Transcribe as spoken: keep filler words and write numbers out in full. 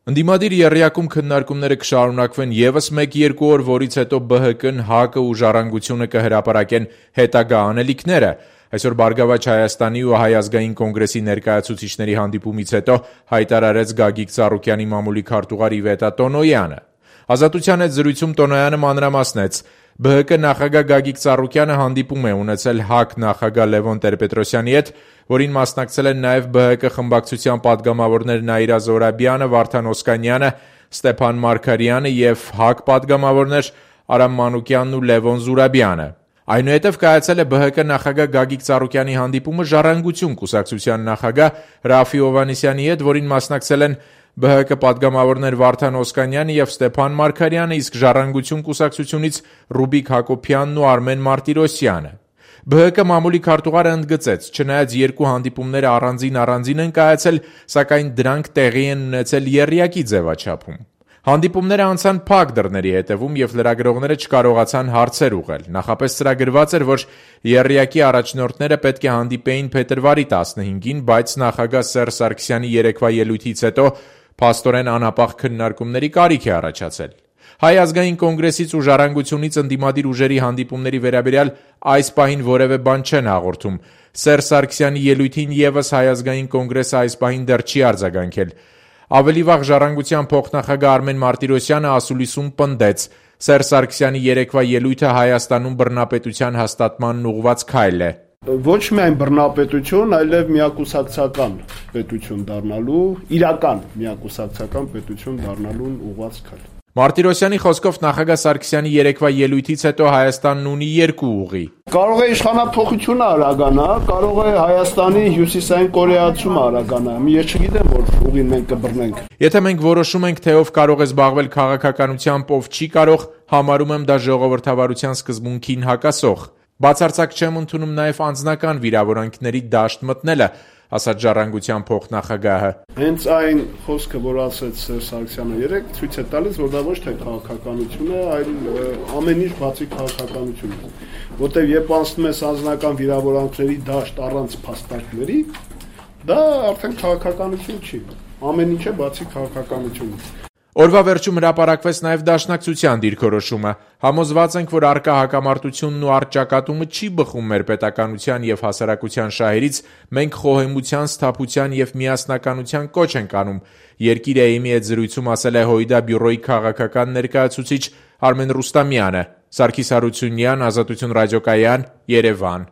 Ընդդիմադիր եռյակում քննարկումները կշարունակվեն ևս մեկ-երկու օր, որից հետո Բ Հ Կն, ՀԱԿ-ը ու Ժառանգությունը կհրապարակեն հետագա անելիքները։ Այսօր Բարգավաճ Հայաստանի ու Հայ ազգային կոնգրեսի ներկայացուցիչների հանդիպումից հետո հայտարարեց Գագիկ Ծառուկյանի մամուլի քարտուղար Իվետա Տոնոյանը։ Ազատության հետ զրույցում Տոնոյանը մանրամասնեց. Բ Հ Կ նախագահ Գագիկ Ծառուկյանը հանդիպում է ունեցել ՀԱԿ նախագահ Լևոն Տեր-Պետրոսյանի հետ, որին մասնակցել են նաև Բ Հ Կ խմբակցության պատգամավորներ Նաիրա Զոհրաբյանը, Վարդան Օսկանյանը, Ստեփան Մարգարյանը և ՀԱԿ պատգամավորներ Արամ Մանուկյանն ու Լևոն Զուրաբյանը։ Այնուհետև կայացել է Բ Հ Կ նախագահ Գագիկ Ծառուկյանի հանդիպումը Ժառանգություն կուսակցության նախագահ Ռաֆֆի Հովհաննիսյանի հետ, որին մասնակցել են Բ Հ Կ պատգամավորներ Վարդան Օսկանյանը և Ստեփան Մարգարյանը, իսկ Ժառանգություն կուսակցությունից Ռուբիկ Հակոբյանն ու Արմեն Մարտիրոսյանը։ Բ Հ Կ մամուլի քարտուղարը ընդգծեց, չնայած երկու հանդիպումները առանձին-առանձին են կայացել, սակայն դրանք տեղի են ունեցել եռյակի ձևաչափում։ Հանդիպումները անցան փակ դռների հետևում և լրագրողները չկարողացան հարցեր ուղղել։ Նախապես ծրագրված էր, որ եռյակի առաջնորդները պետք է հանդիպեին փետրվարի տասնհինգին, բայց նախագահ Սերժ Սարգսյանի երեկվա ելույթից հետո փաստորեն անհապաղ քննարկումների կարիք է առաջացել։ Հայ ազգային կոնգրեսից ու Ժառանգությունից ընդդիմադիր ուժերի հանդիպումների վերաբերյալ այս պահին որևէ բան չեն հաղորդում։ Սերժ Սարգսյանի ելույթին ևս Հայ ազգային կոնգրեսը այս պահին դեռ չի արձագանքել։ Ավելի վաղ Ժառանգության փոխնախագահ Արմեն Մարտիրոսյանը ասուլիսում պնդեց. Սերժ Սարգսյանի երեկվա ելույթը Հայաստանում բռնապետության հաստատմանն ուղղված քայլ է։ Ոչ միայն բռնապետություն, այլև միակուսակցական պետություն դառնալու, իրական միակուսակցական պետություն դառնալուն ուղղված քայլ։ Մարտիրոսյանի խոսքով նախագահ Սարգսյանի երեկվա ելույթից հետո Հայաստանն ունի երկու ուղի։ Կարող է իշխանափոխությունը արագանա, կարող է Հայաստանի հյուսիսային կորեացումը արագանա։ Ես չգիտեմ, որ ուղին մենք կբռնենք։ Եթե մենք որոշում ենք, թե ով կարող է զբաղվել քաղաքականությամբ, ով չի կարող, համարում եմ դա ժողովրդավարության սկզբունքին հակասող։ Բացարձակ չեմ ընդունում նաև անձնական վիրավորանքների դաշտ մտնելը, ասաց Ժառանգության փոխնախագահը։ Հենց այն խոսքը, որ ասեց Սերժ Սարգսյանը երեկ, ցույց է տալիս, որ դա ոչ թե քաղաքականություն է, այլ ամեն ինչ բացի քաղաքականությունից։ Որտեղ երբ անցնում ես անձնական վիրավորանքների դաշտ առանց փաստարկների, դա արդեն քաղաքականություն չի։ Ամեն ինչ է բացի քաղաքականությունից։ Օրվա վերջում հրապարակվեց նաև Դաշնակցության դիրքորոշումը։ Համոզված ենք, որ առկա հակամարտությունն ու առճակատումը չի բխում մեր պետականության և հասարակության շահերից, մենք խոհեմության, սթափության և միասնականության կոչ ենք անում, Երկիր Էյմի հետ զրույցում ասել է Հույդա բյուրոյի քաղաքական ներկայացուցիչ Արմեն Ռուստամյանը։ Սարգիս Հարությունյան, Ազատություն ռադիոկայան, Երևան։